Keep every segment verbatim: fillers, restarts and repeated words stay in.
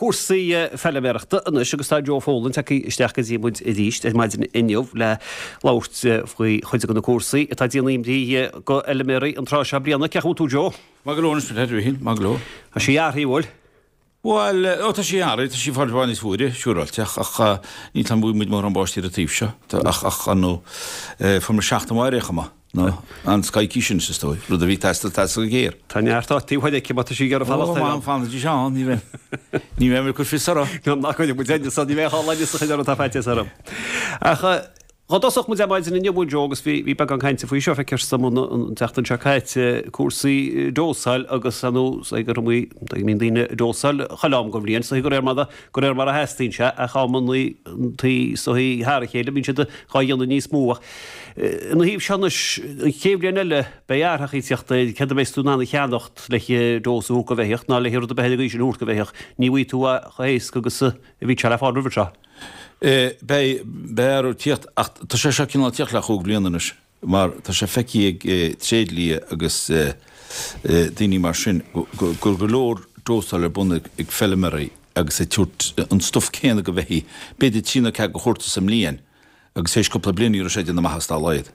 Cúrsaí feilméarachta anois agus tá Joe Folan tagtha isteach go dtí muid arís ar maidin inniu le labhairt faoi chuid de na cúrsaí atá ag déanamh imní do fheilméaraí an tráth seo bliana. Cén chaoi a bhfuil tú Joe? Maith go leor anois a Mhíchíl, maith go leor. Tá sí athraithe, bhfuil? Bhuel, ó tá sí athraithe, tá sí fáil bhfad níos fuaire, siúráilte, ach ach níl tá muid mórán báistí ar an taobh seo, ach ach ar ndóigh fuair muid seachtain mhaith ar aon chuma, nó an scoicís sin is dóigh, rud a bhí ag teastáil teastáil go géar. Tá neart áit uaidh aici má tá sí ag iarraidh fanacht ar. Ó, fanfaidís ann, ní bheidh ní bheidh mé ag cur fios orthu. Ná cuirfidh muid aon ní bheidh á leigheas a chuid orthu tá faitíos orm. Ach Dhá dtosódh muid ar maidin inniu, Joe, agus bhí bhí beagán cainte faoi seo, feictear dom an an tseachtain seo caite, cúrsaí dósáil agus ar nós gur iomaí go mbíonn daoine ag dósáil chuile am den bhliain, is dóigh de réir mar de réir mar a theastaíonn sé, ach amannaí is dóigh thar a chéile bíonn siad dhá dhéanamh níos mó. Ach ina thaobh seo anois, an chéad bhliain eile, beidh athraitheacha ag teacht air, céard a bheas tú in ann a cheannacht le dós a thabhairt do bheithíoch ná le rud ar bith eile den gcaoi sin a thabhairt do bheithíoch, ní bhfaighidh tú é chomh héasca agus a bhí sé le fáil roimhe seo. Beidh, beidh athrú ag tíocht ach tá sé seo cineál ag tíocht le chúig bliana anois mar tá sé feicthe ag tréidlia agus daoine mar sin go go leor dósáil ar bun ag feilméaraí agus ag tabhairt an stuif céanna go bheithígh, b'fhéidir trí nó ceathair de chuarta sa mbliain agus théis cúpla bliain ní raibh sé ag déanamh maitheas dá laghad.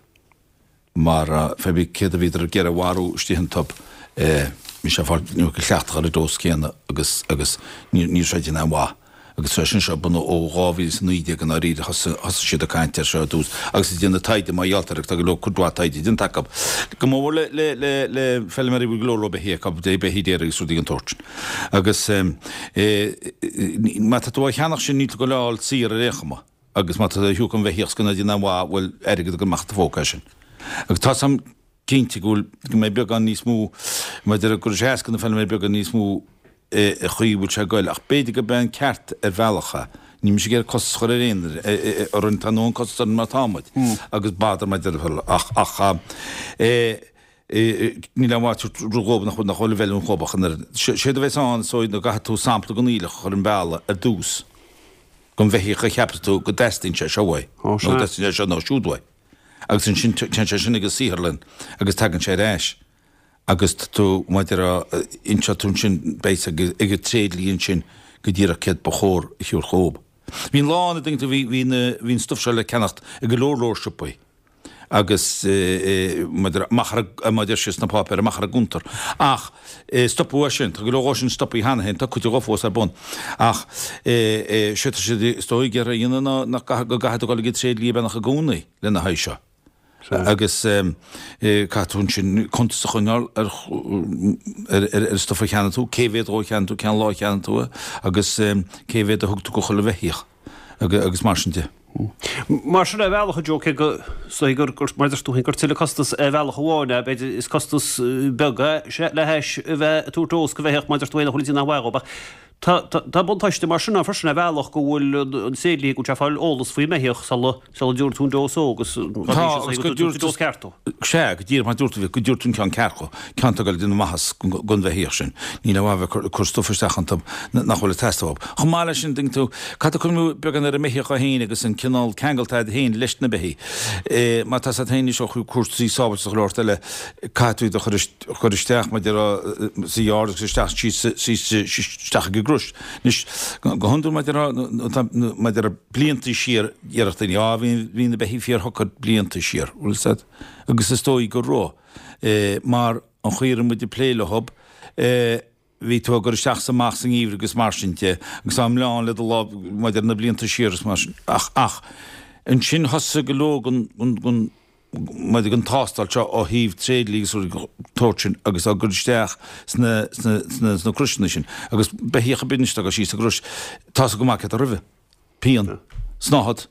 Mar fé bith céard a bhíodar ag iarraidh a mharú istigh iontu, bhí sé ag fáil an iomarca cleachtadh ar an dós céanna agus agus ní raibh sé ag déanamh aon mhaith. Agus tá sin seo bunaithe ó dhá mhíle is a naoi déag i ndáiríre, thosaigh thosaigh siad ag caint air seo ar dtús agus ag déanamh taighde mar gheall air agus tá go leor cuid mhaith taighde déanta acu. Go mór le le le le feilméaraí a bhfuil go leor leor beithígh acu, beithígh daora agus rudaí den tsórt sin. Agus má tá tú á cheannach sin níl tú ag goil á fháil saor ar aon chuma. Agus má tá tú á thabhairt don bheithíoch is gan é ag déanamh aon mhaith, bhuel, airgead ag dul amach as do phóca é sin. Agus tá 's a'm cinnte go bhfuil, go mbeidh beagán níos mó, maidir go raibh sé éasca na feilméaraí beagán níos mó a chaoi a bhfuil sé ag goil, ach b'fhéidir gurb é an ceart ar bhealach é. Níl mise ag iarraidh costas a chur ar aon duine, orainn, tá a ndóthain costas orainn mar atá muid, agus b'fhéidir maidir le, ach, ach, eh, níl aon mhaith tabhairt rud dhóibh nach bhfuil, nach bhfuil i bhfeiliúint dhóibh ach an oiread. Séard a bheas ann, is dóigh, ná go gcaithfidh tú sampla den aoileach a chur im bealach ar dtús. Don bheithíoch a cheapas tú go dteastaíonn sé seo uaidh, nó go dteastaíonn sé seo nó siúd uaidh. Agus ansin téann sé sin ag an saotharlann agus tagann sé ar ais agus tá tú, mar a déarfá, inseoidh tú ansin, beidh ag an tréidlia ansin go díreach céard ba chóir a thabhairt dhób. Bhí an lá ann, an dtuigeann tú, bhí, bhí na, bhí an stuif seo le ceannacht i go leor leor siopaí. Agus maidir amach ar an, mar a deir siad sna páipéir, amach ar an gcuntar. Ach stopadh é sin. Tá go leor dhó sin stoptha cheana féin, tá cuid dhó fós ar bun. Ach sé tá siad is dóigh ag iarraidh a dhéanamh ná nach gcaithfidh, go gcaithfidh tú dul ag an tréidlia beagnach i gcónaí lena haghaidh seo. Agus caithfidh tú ansin cuntas a choinneáil ar ar ar an stuif a cheannaigh tú, cé mhéad dhó a cheannaigh tú, cén lá a cheannaigh tú é, agus cé mhéad a thug tú go chuile bheithíoch. agus mar sin de. Mar sin ar bhealach, a Joe, cé go is gur, gur, mar a deir tú féin, gur tuilleadh costas ar bhealach amháin é, b'fhéidir is costas beag é le hais a bheith ag tabhairt dós go bheithíoch mar a deir tú féin nach bhfuil ag déanamh aon mhaith dhób ach tá, tá, tá buntáiste mar sin ann freisin ar bhealach go bhfuil an tréidlia, go bhfuil sé ag fáil eolas faoin mbeithíoch sula, sula dtabharfaidh tú an dós dhó agus Tá, agus go dtabharfaidh tú an dós ceart dó. Sea, go díreach mar a dúirt tú, go dtabharfaidh tú an ceann ceart dhó, ceann atá ag dul ag déanamh maitheas don bheithíoch sin. Níl aon mhaith a bheith ag cur stuif isteach iontu nach bhfuil ag teastáil uathu. Chomh maith leis sin, an dtuigeann tú, caithfidh tú cuimhniú beagán ar an mbeithíoch é féin agus an cineál ceangal atá agat féin leis na beithígh. Má tá 's agat féin anois ó chúrsaí sábháilteachta go leor eile, caithfidh tú iad a chur isteach, mar a déarfá, sa yard agus isteach síos isteach ag an gcrois. Anois, go hiondúil, mar a déarfá, mar a déarfá, blianta siar, déarfadh daoine, á, bhí na beithígh fíorshocair blianta siar, bhfuil 's agat? Agus is dóigh go raibh, mar an chaoi a raibh muid ag plé leo, bhí tú ag cur isteach is amach sa ngeimhreadh agus mar sin de, agus á mbleán le do lámh maidir na blianta siar agus mar sin. Ach, ach, ansin thosaigh go leor den, den, den, maidir den tástáil seo ó thaobh tréidlia agus rudaí den tsórt sin agus á gcur isteach sna, sna, sna, sna croiseanna sin. Agus beithíoch ar bith anois atá ag dul síos sa gcrois, tá 's acu go maith céard atá roimhe. Pian. Snáthaid.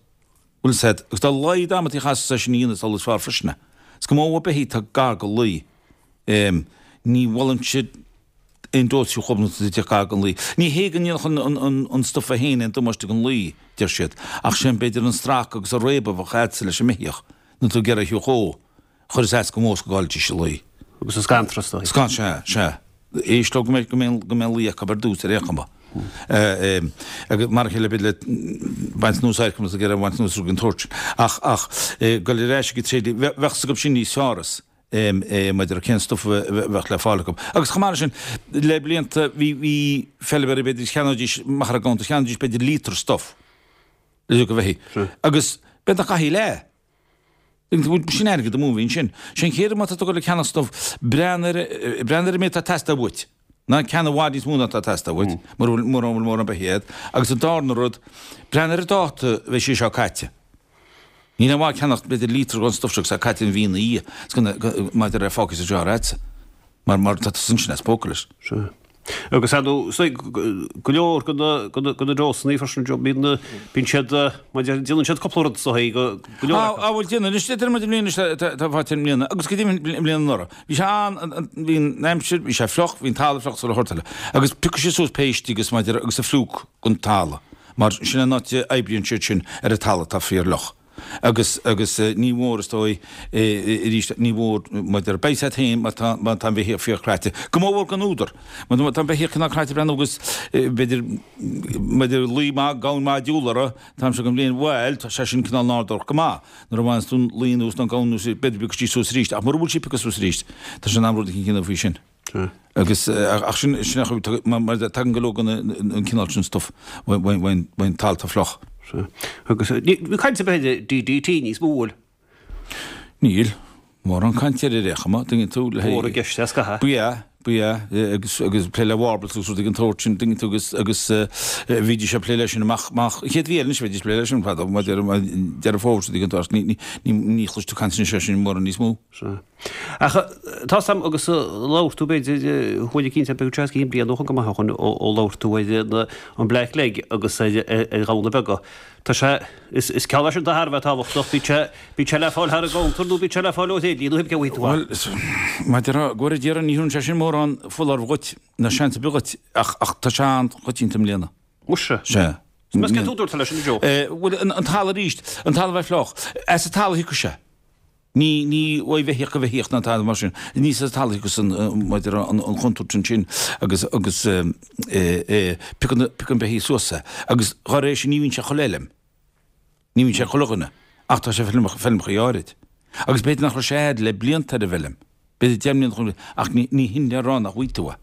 Bhfuil 's agat. Agus dá laghad ama a chaithfeas é sin a dhéanamh is amhlaidh is fearr freisin é. Is go mór beithígh atá gar go luí. Ní mholfainnse aon dós fiú chomh nuair atá gar don luí. Ní hé go ndéanfadh an stuif é féin aon damáiste don luí, deir siad, ach sin b'fhéidir an stracadh agus an réabadh a bheadh agatsa leis an mbeithíoch nuair atá tú ag iarraidh a thiúch ó, chuirfeas as go mó is go gcaillfidís a luí. Agus an scanradh is dóigh. Scan, sea, sea. Éist leo go mbeidh, go mbeidh, go mbeidh luí acu ar dtús ar aon chuma. Agus mar a chéile b'fhéidir le baint anuas adharca más ag iarraidh baint anuas rud den tsórt sin. Ach, ach, dul ar ais ag an tréidlia, bheadh 's acu sin níos fearr as. maidir le cén stuif a bheadh le fáil acu. Agus chomh maith leis sin, le blianta bhí bhí feilméaraí b'fhéidir cheannaídís machaire gabhann, cheannaídís b'fhéidir líotar stuif le go bheithígh. Agus b'fhéidir nach gcaithfí leath. Sin airgead amú a bhí ansin. Sé an chéad rud má tá tú ag dul ag ceannach stuif, breathnaigh ar breathnaigh ar an méid atá ag teastáil uait. Ná ceannaigh i bhfad níos mó ná atá ag teastáil uait, mura bhfuil mura bhfuil mórán beithígh agat. Agus an darna rud, breathnaigh ar an dáta a bheidh sé seo caite. Níl aon mhaith ceannacht b'fhéidir líotar den stuif seo agus é caite an mhí ina dhiaidh, is go maidir le fágfaidh sa jar agatsa, mar mar tá tusa ansin as póca leis. Sea. Agus ar ndóigh, go leor de na de na dósanna freisin, Joe, bíonn bíonn siad, maidir, déanann siad cúpla rud sa go go leor acu. Á, bhuel déanann, anois deir muid i mbliana anois tá faighte i mbliana, agus go deimhin i mbliana anuraidh. Bhí sé an, bhí an aimsir, bhí sé fliuch, bhí an talamh fliuch sa ghort eile. Agus piocfaidh siad suas péistí agus maidir agus an phlúch den talamh, mar sin an áit a oibríonn siad sin ar an talamh atá fíorfhliuch. Agus, agus ní mór, is dóigh, arís, ní mór, maidir, beidh siad féin má tá, má tá an bheithíoch fíorchraite. Go mór mhór gan údar. Má tá an beithíoch cineál craite breathnú agus, b'fhéidir, maidir lao maith, gamhain maith diabhal orthu, an t-am seo den bhliain, bhuel, tá sé sin cineál nádúrtha go maith. Nuair a bhaineas tú an lao anuas nó an gamhain anuas, b'fhéidir piocfaidh sí suas arís, ach mura bhfuil sí ag piocadh suas arís, tá sé in am rud éicint a dhéanamh faoi sin. Agus, ach sin, sin a chuir, mar, mar tagann go leor den an cineál sin stuif ón, ón talamh atá fliuch. Sea. Agus, níl caint ar bith ar DDT níos mó, bhfuil? Níl. Mórán cainte air ar aon chuma, tuigeann tú, le Mór i gceist é scaitheamh. Ba ea, ba ea, agus, agus plé le warbles agus rudaí den tsórt sin, tuigeann tú, agus, agus bhídís ag plé leis sin amach, amach, an chéad mhí eile anois bheidís ag plé leis sin, fadó, maidir, Deireadh Fómhair, rudaí den tsórt, ní, ní, ní, ní chloiseann tú caint anois air sin mórán níos mó. Sea. Ach tá 's a'm agus labhair tú b'fhéidir chuaigh cinnte beidh sé cinn bliain ó shin go maith ó shin ó labhair tú ar an black leg agus ar ar ghamhna beaga. Tá sé is is ceann é sin atá thar a bheith tábhachtach bíonn sé bíonn sé le fáil thar an gcounter nó bíonn sé le fáil ó thréidlia nó cibé cé a bhfaighidh tú é. Bhuel maidir le go deireadh ní thugann sé sin mórán foláireamh dhuit ná seans ar bith dhuit ach ach tá sé an-choitianta i mbliana. Muise. Sea. Is cén t-údar atá leis sin a Joe? Bhuel an talamh arís, an talamh a bheith fliuch. As an talamh a thiocfadh sé. Ní, ní ó bheithíoch go bheithíoch ná tada mar sin. Ní sa talamh agus an, maidir an, an chontúirt ansin agus, agus piocann, piocann beithígh suas é. Agus dá réir sin ní bhíonn sé chuile fheilm. Ní bhíonn sé chuile dhuine. Ach tá sé feilmeacha, feilmeacha áirid. Agus b'fhéidir nach raibh sé a'd le blianta ar an bhfeilm. B'fhéidir deich mbliana chun, ach ní, ní hin le rá nach bhfaighidh tú é.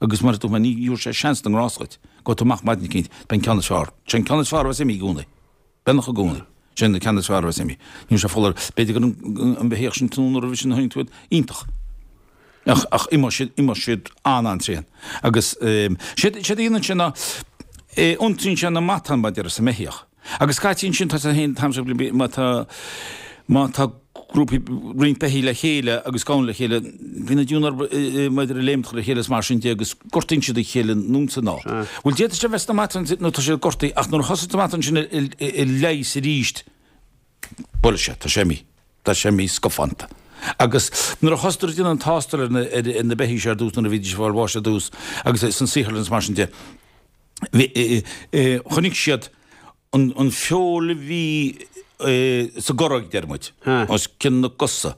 Agus mar a dúirt mé, ní thabharfaidh sé seans na ngrást dhuit. Gabhfaidh tú amach maidin eicínt, beidh an ceann is fearr. Sé an ceann is fearr a bheas imithe i gcónaí. Beagnach i gcónaí. Sin an ceann is fearr a bheas imithe. Ní raibh sé foláir. B'fhéidir go raibh an beithíoch sin tráthnóna roimhe sin a tháinig tú iontach. Ach, ach imeoidh siad, imeoidh siad an-an-tréan. Agus séard, séard a dhéanann sé ná iontraíonn sé na matáin maidir sa mbeithíoch. Agus scaití ansin tá sé féin, tá má tá, má tá grúpaí, roinnt beithígh le chéile agus gamhain le chéile, bíonn an diabhal orthu maidir le léimt le chéile is mar sin de agus gortaíonn siad a chéile anonn is anall. Bhuel, d'fhéadfadh sé a bheith sna matáin nó tá siad gortaithe ach nuair a thosaigh na matáin sin ag leigheas arís, buailfidh sé, tá sé imithe, tá sé imithe scafánta. Agus nuair a thosaíodar ag déanamh an tástáil ar na, ar na beithígh seo ar dtús nuair a bhídís ag fáil bháis ar dtús agus san saotharlann is mar sin de, bhí, chonaic siad an feoil a bhí sa gcorróig, deir muid, os cionn na gcosa,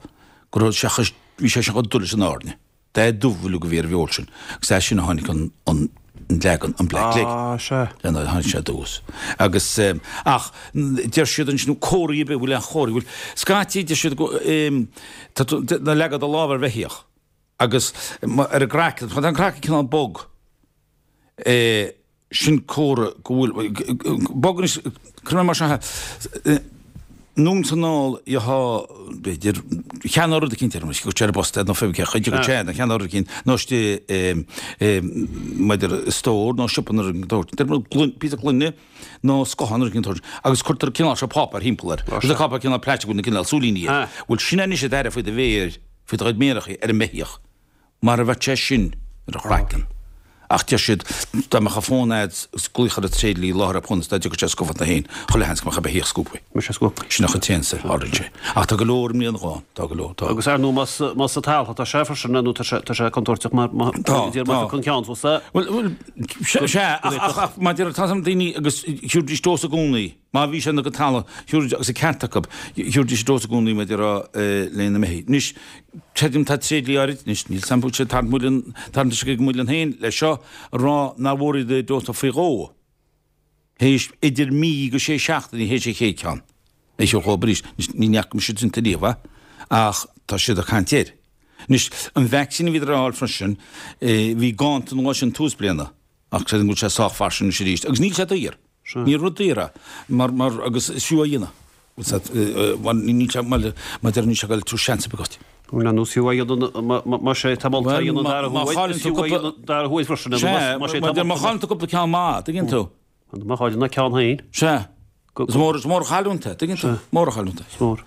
go raibh sé, bhí sé sin chomh dubh leis an airne. Dath dubh uilig a bhí ar an bhfeoil sin. Agus as sin a tháinig an, an leagan, an black leg. Ah, sea. Lena tháinig sé aduas. Agus, ach, deir siad ansin, comharthaí ar bith, bhfuil aon chomharthaí, bhfuil, scaití, deir siad go, tá tú, ná leag do lámh ar bheithíoch agus ar an gcraiceann, tá an craiceann cineál bog, eh, sin comhartha go bhfuil, bog anois, cuir mé mar seo, anonn is anall gheofá, b'fhéidir, cheannóir rud eicínt ar an go ar an bpost nó fé cé chuid go té nó cheannóir rud eicínt nó istigh maidir i stór nó siopa nó rud eicínt deir muid gloine, píosa gloine nó scothán nó rud eicínt agus cuirtear cineál seo páipéar thimpeall air. Rud páipéar cineál plaisteach nó cineál súilíní air. Bhuel sin anois an t-aire faoi do mhéir, faoi do chuid méarachaí ar an mbeithíoch. Mar a bheadh sé sin ar a chraiceann. Ach deir siad, dá mbeadh an fón a'd is glaoch ar an tréidlia láithreach bonn is dá dtiocfadh sé scafánta féin, chuile sheans go mbeadh an beithíoch scuabtha. Mbeadh sé scuabtha. Sin a chuid téann-sa, tharlaíonn sé. Ach tá go leor i mbliana dhó, tá go leor, tá. Agus ar ndóigh más, más sa talamh atá sé freisin, nó tá sé, tá sé contúirteach mar, má, Tá, idir má tá. phiocann ceann suas é. Bhuel, bhuel, sea, sea, ach, ach, ach, maidir le, tá 's a'm daoine agus thiúrfaidís dós i gcónaí. Má bhí sé ina go talamh, thiúrfaidís, agus an ceart acu, thiúrfaidís dós i gcónaí maidir le na mbeithígh. Anois, creidim tá tréidlia áirid, anois níl 's a'm bhfuil sé tarraingt muileann, tarraingt uisce ag an muileann féin le seo, a rá nár mhór iad a dósú faoi dhó, théis idir mí go sé seachtainí théis an chéad cheann. É seo dhóibh arís. Anois, ní fhaca mise déanta riamh é, ach tá siad ag caint air. Anois, an vacsaín a bhíodar a fháil freisin, bhí ganntan an lá sin tús bliana, ach creidim go bhfuil sé sách fairsing anois arís. Agus níl sé daor. Ní rud daor é. Mar, mar, agus is fiú é a dhéanamh. Mar níl sé, mar, mar deir níl sé ag dul tabhairt seans ar bith dhuit. Bhuel, ar nós fiú é a dhéanamh, má sé tá molta a dhéanamh an dara huair, is fiú é a dhéanamh an dara huair freisin, má sé tá molta. Má chailleann tú cúpla ceann maith, tuigeann tú. Má chailleann an ceann féin. Sea. Is mór, is mór an chailliúint é, tuigeann tú? Mór an chailliúint é. Is mór.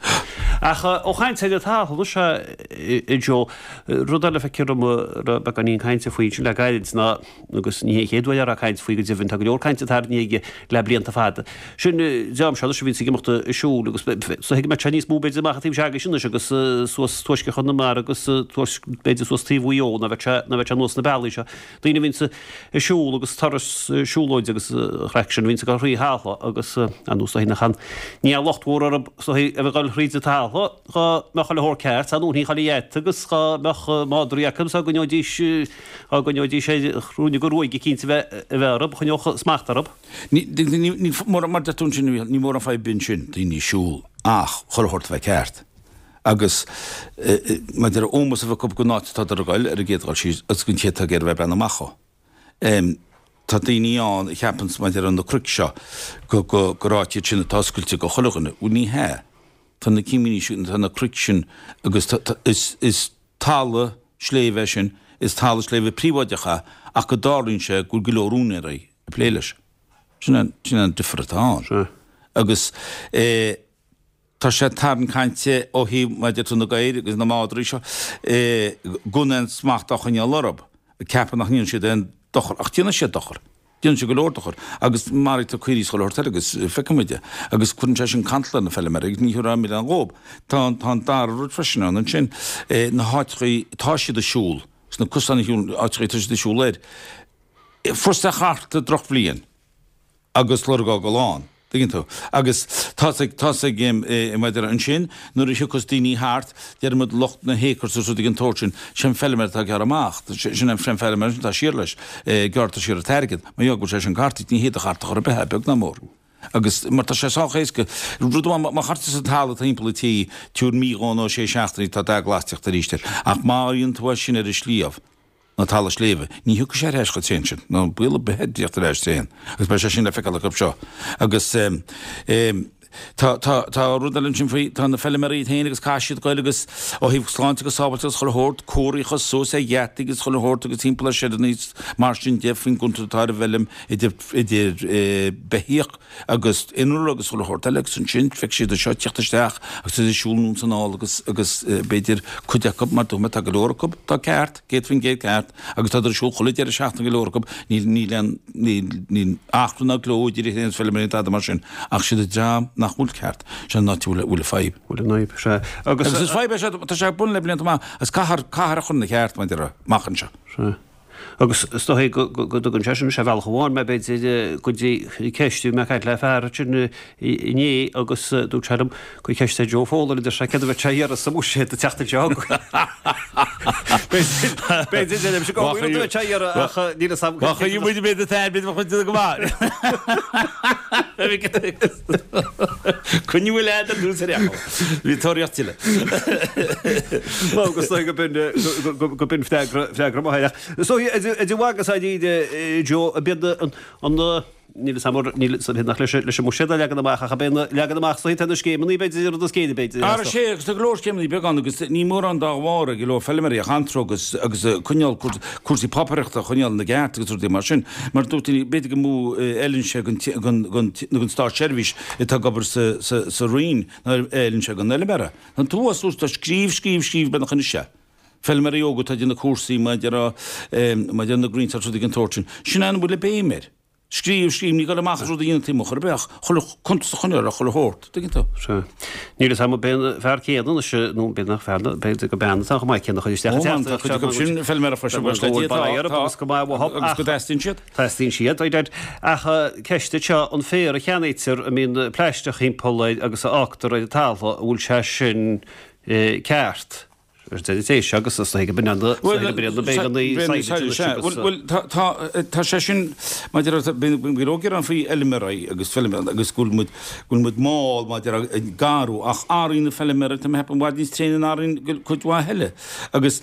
Ach ó chaint ar an talamh anois, a Joe, rud eile feictear dom a raibh beagáinín cainte faoi ansin le gairid ná, agus ní hé an chéad uair a raibh caint faoi go deimhin, tá go leor cainte tarraingthe aige le blianta fada, sin dream seo anois a bhíonns ag imeacht ag siúl agus is dóigh go mbeadh sé níos mó b'fhéidir amach an taobh seo agaibhse anois agus suas tuaisceart Chonamara agus b'fhéidir suas taobh Mhaigh Eo ná bheadh sé, ná bheadh sé anuas na bealaí seo. Daoine a bhíonns ag siúl agus turas siúlóide agus an chraic sin a bhíonns ag dul thrí thalamh agus ar nós dóigh nach ann ní raibh locht mhór orthu is dóigh a bheith ag dul thríd an talamh dhá mbeadh chuile shórt ceart ar ndóigh chuile gheata agus dhá mbeadh madraí acu is dá gcoinneoidís dhá gcoinneoidís ar chruinne go ruaig eicínt a bheith a bheith orthu choinneodh smacht orthu. Ní ní ní mar mar deir tú ansin ní mór an fadhb ansin daoine ag siúl ach chuile shórt a bheith ceart. Agus maidir le ómós a bheith acu don áit atá ag goil ar an gcéad dhul síos agus don té atá ag iarraidh a bheith ag breathnú amach dhó. Tá daoine ann a cheapanns maidir le na cnoic seo go go gur áit iad sin atá oscailte go chuile dhuine. Bhuel ní hea. Tá na cimíní sin, tá na cnoic sin agus tá tá is is talamh sléibhe é sin, is talamh sléibhe príobháideach é ach go dtarlaíonn sé go bhfuil go leor úinéirí ag plé leis. Sin an sin an difear atá ann. Sea. Agus eh. Tá sé ag tarraingt cainte ó thaobh maidir le na gadhair agus na madraí seo gan aon smacht á choinneáil orthu, ag ceapadh nach ndéanann siad aon dochar. Ach déanann siad dochar. Déanann siad go leor dochar. Agus maraítear caoirigh is chuile shórt eile agus feicfidh muid é. Agus cuireann sé sin cantal ar na feilméaraí agus ní thabharfá milleán dhóib. Tá tá an dara rud freisin ann ansin, na háiteachaí atá siad ag siúl, sna cosáin a shiúl, áiteachaí atá siad ag siúl air. Fuair sé charta drochbhliain. agus lorg á gcul ann, tuigeann tú. Agus tá's ag, tá's ag, maidir ansin, nuair a thiocfas daoine thart, déarfaidh muid lucht na hacres agus rudaí den tsórt sin, sé an feilméara atá ag gearradh amach, sin an feilméara sin atá siar leis, gearrtar siar an t-airgead, mar gheall go bhfuil sé sin cartaithe, ní hé do chárta chor ar bith é, beag ná mór. Agus mar tá sé sách éasca, rud amháin, má chuirtear sa talamh timpeall an tí, tabhair mí dhó nó sé seachtainí, tá dath glas ag teacht arís air. Ach má dhéanann tú é sin ar an sliabh, nó talamh sléibhe. Ní thiocfaidh sé ar ais chomh tréan sin, ná baol ar bith air tíocht ar ais tréan, agus beidh sé sin le feiceáil acu seo. Agus tá, tá, tá rud eile ansin faoi, tá na feilméaraí iad féin agus caithfidh siad goil agus ó thaobh sláinte agus sábháilteacht agus chuile shórt, comharthaí a chur suas ar gheataí agus chuile shórt agus timpeall ar sheideanna is mar sin de faoin gcontúirt atá ar an bhfeilm idir, idir beithíoch agus innealra agus chuile shórt eile agus ansin feicfidh siad seo ag tíocht isteach agus iad ag siúl anonn is anall agus, agus b'fhéidir cuid acu mar dúirt mé tá go leor acu atá ceart, céad faoin gcéad ceart agus tá ar siúl chuile deireadh seachtaine go leor acu, níl, níl aon, níl, níl achrann ná gleo idir iad féin agus feilméaraí ná tada mar sin ach siad an dream nach bhfuil ceart, sin an áit a bhfuil, a bhfuil an fadhb. Bhfuil an fhadhb, sea. Agus. Agus is fadhb é seo, tá sé ar bun le blianta maith agus caithfear, caithfear a chur ina cheart, mar a déarfá, amach anseo. Sea. Agus is dóigh go dtugann sé sin sé bhealach amháin mé b'fhéidir go dtí ceist, bhí mé ag caint le fear ansin inné agus dúirt sé liom cuir ceist ar Joe Fowler a deir sé céard a bheadh sé a iarraidh sa mbuiséad an tseachtain seo chugainn. B'fhéidir deirimse go bhfuil rud a bheadh sé a iarraidh ach níl fhios agam. Má chuireann muid an méid atá air b'fhéidir bheadh muid go maith. Coinniú leat ar dtús ar fhiacail. Bhí tóraíocht tuilleadh. Nó agus dóigh go b'in go b'in freagra freagra maith air. Ach so idir mhaith agus dáiríre Joe ab iad an an níl fhios agam níl fhios agam nach leis leis an mbuiséad a leagan amach ach ab é na leagan amach so tá na scéimeanna b'fhéidir rud is géire b'fhéidir. Ara sé agus tá go leor scéimeanna beaga ann agus ní mórán dá bharr ag go leor feilméaraí ach antró agus agus coinneáil cúrsaí páipéireachta a choinneáil ina gceart agus rudaí mar sin. Mar dúirt daoine b'fhéidir go mó fheileann sé don don don státseirbhís atá ag obair sa sa sa Roinn ná a fheileann sé don fheilméara. An t-uas tá scríobh scríobh scríobh beagnach anois é. Feilméaraí óga atá ag déanamh cúrsaí maidir maidir na Green rudaí den tsórt sin. Sin an bhfuil an béim air. Scríobh, scríobh, ní gá amach as rud a dhéanamh taobh amuigh chor ar bith ach chuile cuntas a choinneáil ar chuile shórt, tuigeann tú. Sea. Níl fhios agam ab é an fear céanna anois, nó b'fhéidir nach fear, b'fhéidir gur bean atá chomh maith céanna a chuir isteach an teachtaireacht seo. Ó, tá cuid acu sin feilméara freisin, go bhfuil bail orthu agus go maith uathu agus go dteastaíonn siad. Teastaíonn siad, I dead. Ach ceist anseo, an féar a cheannaítear a mbíonn plaisteach thimpeall air agus a fhágtar ar an talamh, an bhfuil sé sin ceart? Téis agus is go binn Bhuel tá sé sin maidir go gearán faoi fheilméaraí agus feilméaraí agus go bhfuil muid go bhfuil muid mall maidir ag garú ach arraí na feilméaraí tá mé ag ceapadh i bhfad níos tréine ná arraí cuid mhaith eile agus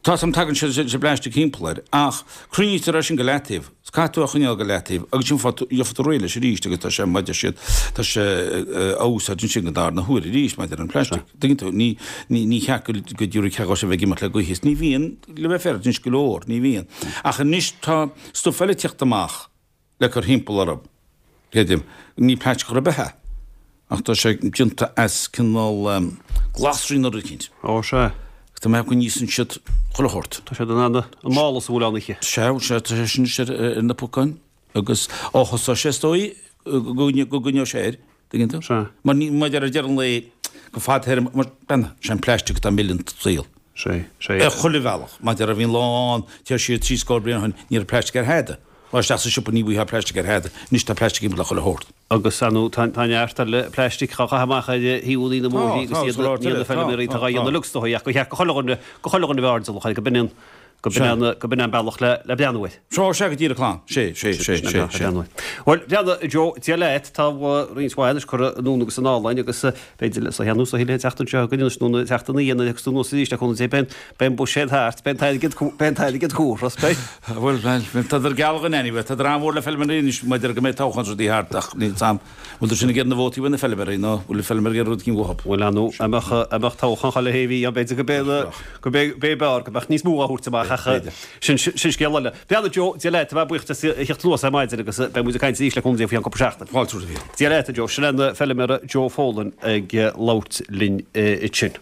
tá sam tagann sé sé plastic timpeall air ach cruinnítear é sin go leataobh is caithfidh tú a choinneáil go leataobh agus sin fáth gheofar tú réidh leis arís agus tá sé maidir siad tá sé a úsáid ansin go darna huair arís maidir an plastic. Tuigeann tú ní ní ní cheart go go dtiúrfaidh ceangais a bheith ag imeacht le gaoth is ní bhíonn le bheith féar anois go leor ní bhíonn ach anois tá stuif eile ag teacht amach le cur thimpeall orthu. Creidim ní plaisteach ar bith é ach tá sé déanta as cineál glasraí nó rud eicínt. Ó sea. Tá mé go n-íosann siad chuile shórt. Tá siad in ann an mála sa bhfuil ann aici. Sea, sea, tá sé sin anois ar na pocáin agus ó thosóidh sé is dóigh go gcoinneoidh sé air, tuigeann tú? Sea. Mar ní, maidir ar deireadh an lae, go fadtéarma, mar bean, sé an plaisteach atá ag milleadh an tsaoil. Sea, sea. Ar chuile bhealach. Maidir a bhí an lá ann, téir siar trí scór bliain ó shin, ní raibh plaisteach ar thada. Lá isteach sa siopa ní bhfaighfeá plaisteach ar thada. Anois tá plaisteach timpeall ar chuile shórt. Agus ar ndóigh tá neart eile plaistic á chaitheamh amach ar thaobhanna na mbóithrí agus iad ní na feilméaraí atá á dhéanamh uilig is dóigh ach gur cheart go chuile dhuine go chuile dhuine a bheith airdeallach air go b'in an go b'in an go b'in an bealach le le breathnú air. Seo sea go díreach lán. Sé sé sé sé sé. Bhuel breathnaigh Joe Dia leat tá roinnt mhaith anois curtha anonn agus anall againn agus b'fhéidir le sa nó sa thuilleadh an tseachtain seo chugainn anois nó na seachtainí a thiocfas anuas arís le cúnamh Dé beidh an buiséad thart, beidh an t-airgead beidh an t-airgead curtha, beidh. Bhuel, bhuel, tádar geall againn anyway, tádar an-mhór le feilméaraí anois maidir go mbeidh toghchán is rudaí thart ach níl 's a'm, bhfuil siad sin ag iarraidh na vótaí uaidh na feilméaraí nó bhfuil na feilméaraí ag iarraidh rud eicínt uathu? Bhuel, ar ndóigh, a mbeadh, a mbeadh toghchán chuile shé mhí ann b'fhéidir go b'é, go b'é, b'é b'fhearr go mbeadh níos mó á thabhairt amach ach sin, sin scéal eile. Breathnaigh Joe, Dia leat, tá mé buíoch as a theacht anuas ar maidin agus beidh muid ag caint arís le cúnamh Dé faoi cheann cúpla seachtain. Fáilte romhat a Mhíchíl. Dia leat a Joe, sin an feilméara Joe Folan ag labhairt linn ansin.